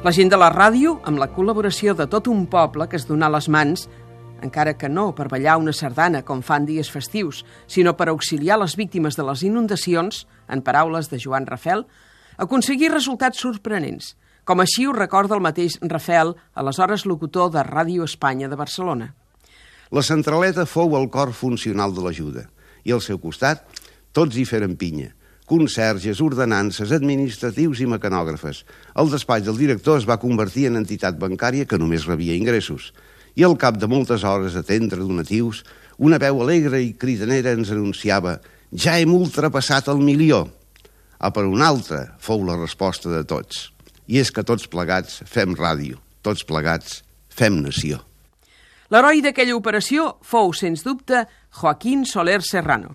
La gent de la ràdio, amb la col·laboració de tot un poble que es donà les mans, encara que no per ballar una sardana com fan dies festius, sinó per auxiliar les víctimes de les inundacions, en paraules de Joan Rafel, aconseguir resultats sorprenents, com així ho recorda el mateix Rafel, aleshores locutor de Ràdio Espanya de Barcelona. La centraleta fou el cor funcional de l'ajuda, i al seu costat tots hi feren pinya. Conserges, ordenances, administratius i mecanògrafes. El despatx del director es va convertir en entitat bancària que només rebia ingressos. I al cap de moltes hores d'atendre donatius, una veu alegre i cridanera ens anunciava «Ja hem ultrapassat el 1.000.000». Per una altra fou la resposta de tots. I és que tots plegats fem ràdio, tots plegats fem nació. L'heroi d'aquella operació fou, sens dubte, Joaquín Soler Serrano.